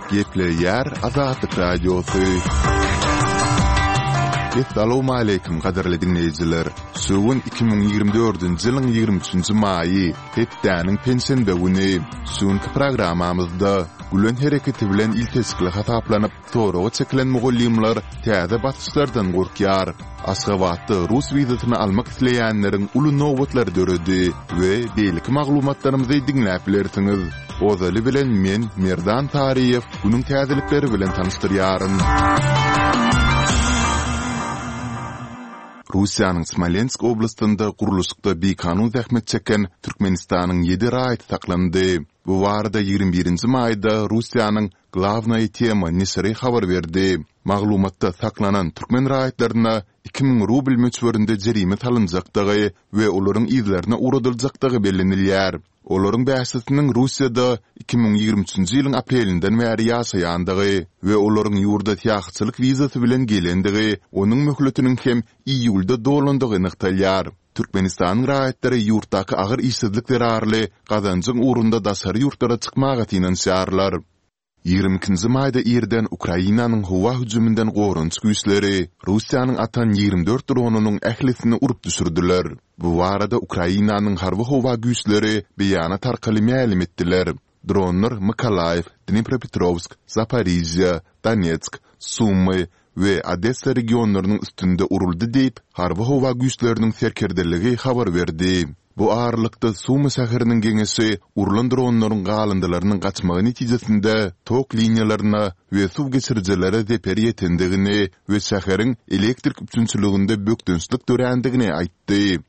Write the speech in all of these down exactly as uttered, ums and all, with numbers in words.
Gepleýär Azatlyk Radiosy. Essalawmaleýkim gadyrly diňleýjiler! Şu gün iki müň ýigrimi dördünji ýylyň ýigrimi üçünji maýy, hepdäniň penşenbe güni. Şu günki programmamyzda Gülen hereketi bilen ilteşikli hasaplanyp, Soraga çekilen mugallymlar täze basyşlardan gorkýar. Aşgabatda rus wizasyny almak isleýänleriň uly nobatlary döredi we beýleki maglumatlarymyzy diňläp bilersiňiz. Ozaly bilen men, Merdan Saryýew, günüň täzelikleri bilen tanyşdyrýaryn. Russiýanyň Smolensk oblastynda gurluşykda bikanun zähmet çeken Türkmenistanyň ýedi raýaty saklandy. Bu barada ýigrimi birinji maýda Russiýanyň Glawnaýa tema neşiri habar berdi. Maglumatda saklanan türkmen raýatlaryna iki müň rubl möçberinde jerime salynjakdygy we olaryň yzlaryna ugradyljakdygy bellenilýär. Olaryň bäşisiniň Russiýada iki müň ýigrimi üçünji ýylyň aprelinden bäri ýaşaýandygy we olaryň ýurda syýahatçylyk wizasy bilen gelendigi, onuň möhletiniň hem iýulda dolandygy nygtalýar. Türkmenistanyň raýatlary ýurtdaky agyr işsizlik zerarly gazanjyň ugrunda daşary ýurtlara çykmaga synanyşýarlar. Ýigrimi ikinji maýda irden Ukrainanyň howa hüjüminden goranyş güýçleri Russiýanyň atan ýigrimi dört dronynyň ählisini urup düşürdiler. Bu barada Ukrainanyň harby-howa güýçleri beýanat arkaly mälim etdiler. Dronlar Mykolaýiw, Dnipropetrowsk, Zaporižýa, Donetsk, Sumy we Odessa regionlarynyň üstünde uruldy diýip, Harby-howa güýçleriniň serkerdeligi habar berdi. Bu aralykda, Sumy şäheriniň geňeşi urlan dronlaryň galyndylarynyň gaçmagy netijesinde tok liniýalaryna we suw geçirijilere zeper ýetendigini we şäheriň elektrik üpjünçiliginde bökdençlik dörändigini aýtdy.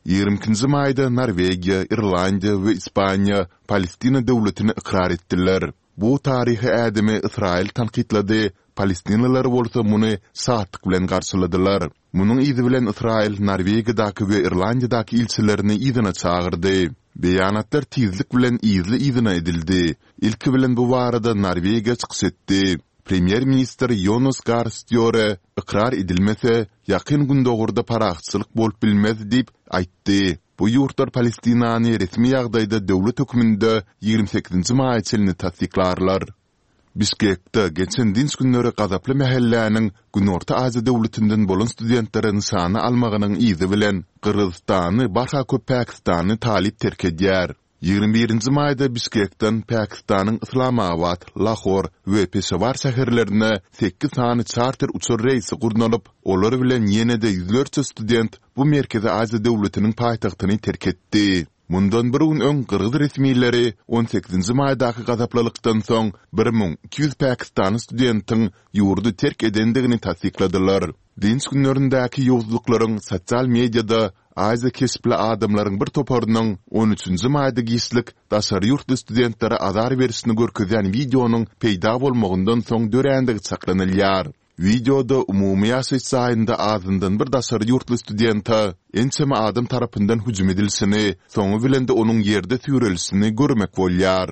Ýigrimi ikinji maýda Norwegiýa, Irlandiýa we Ispaniýa Palestina döwletini ykrar etdiler. Bu taryhy ädimi Ysraýyl tankytlady, palestinalylar bolsa muny şatlyk bilen garşyladylar. Munuň yzy bilen Ysraýyl Norwegiýadaky we Irlandiýadaky ilçilerini yzyna çagyrdy. Beýanatlar tizlik bilen yzly-yzyna edildi. Ilki bilen bu barada Norwegiýa çykyş etdi. Premýer-ministr Ýonas Gar Stýore ykrar edilmese, Ýakyn Gündogarda parahatçylyk bolup bilmez diýip aýtdy. Bu ýurtlar Palestinany resmi ýagdaýda döwlet hökmünde ýigrimi sekizinji maýa çenli tassyklarlar. Bişkekde geçen dynç günleri gazaply mähelläniň Günorta Aziýa döwletinden bolan studentleri nyşana almagynyň yzy bilen Gyrgyzystany barha köp pakistanly talyp terk edýär. Ýigrimi birinji maýda Bişkekden Pakistanyň Yslamabat, Lahor we Peşawar şäherlerine sekiz sany çarter uçar reýsi gurnalyp, olar bilen ýene-de ýüzlerçe student bu Merkezi Aziýa döwletiniň paýtagtyny terk etdi. Mundan bir gün öň gyrgyz resmileri on sekizinji maýdaky gazaplylykdan soň bir müň iki ýüz pakistanly studentiň ýurdy terk edendigini tassykladylar. Dynç günlerindäki ýowuzlyklaryň sosial mediada Aziýa keşpli adamlaryň bir toparynyň on üçünji maýda giçlik daşary ýurtly studentlere azar berişini görkezýän wideonyň peýda bolmagyndan soň dörändigi çaklanylýar. Wideoda umumy ýaşaýyş jaýynda azyndan bir daşary ýurtly studente ençeme adam tarapyndan hüjüm edilişini, soňy bilen-de onuň ýerde süýrelişini görmek bolýar.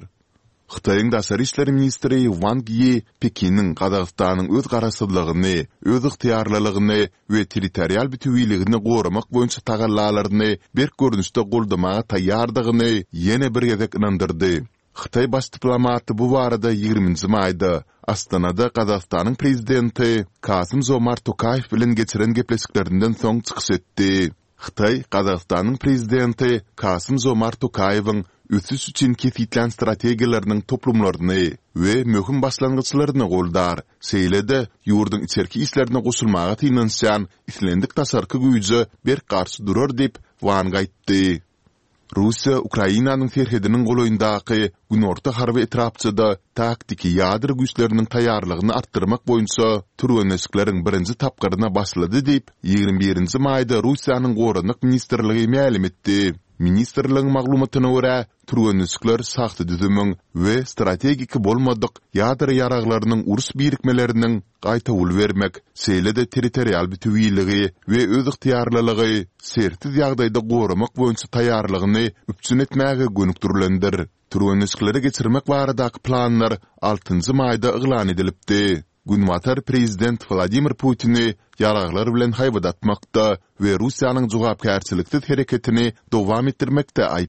Hytaýyň daşary işler ministri Wang Ýi Pekiniň Gazagystanyň öz garaşsyzlygyny, özygtyýarlylygyny we territorial bütewiligini goramak boýunça tagallalaryny berk görnüşde goldamaga taýýardygyny ýene bir gezek ynandyrdy. Hytaý baş diplomaty bu barada ýigriminji maýda Astanada Gazagystanyň prezidenti Kasym-Žomart Tokaýew bilen geçiren gepleşiklerinden soň çykyş etdi. Hytaý Gazagystanyň Prezidenti Kasym-Žomart Tokaýewiň ösüş üçin kesgitlän strategiýalarynyň toplumlaryny we möhüm başlangyçlaryny goldar, şeýle-de ýurduň içerki işlerine goşulmaga synanyşýan islendik daşarky güýje berk garşy durar diýip, Wang aýtdy. Russiýa Ukrainanyň serhediniň golaýyndaky Günorta harby etrapçada taktiki ýadro güýçleriniň taýýarlygyny artdyrmak boýunça türgenleşikleriň birinji tapgyryna başlady diýip, ýigrimi birinji maýda Russiýanyň Goranmak ministrligi mälim etdi. Ministrligiň maglumatyna görä, türgenleşikler şahsy düzümiň we strategik bolmadyk ýadro ýaraglarynyň uruş birikmeleriniň gaýtawul bermek, şeýle-de territorial bütewiligi we özygtyýarlylygy şertsiz ýagdaýda goramak boýunça taýýarlygyny üpjün etmäge gönükdirilendir. Türgenleşikleri geçirmek baradaky planlar altynjy maýda yglan edilipdi. Günbatar prezident Wladimir Putini ýaraglar bilen haýbat atmakda we Russiýanyň jogapkärçiliksiz hereketini dowam etdirmekde aýyplaýar.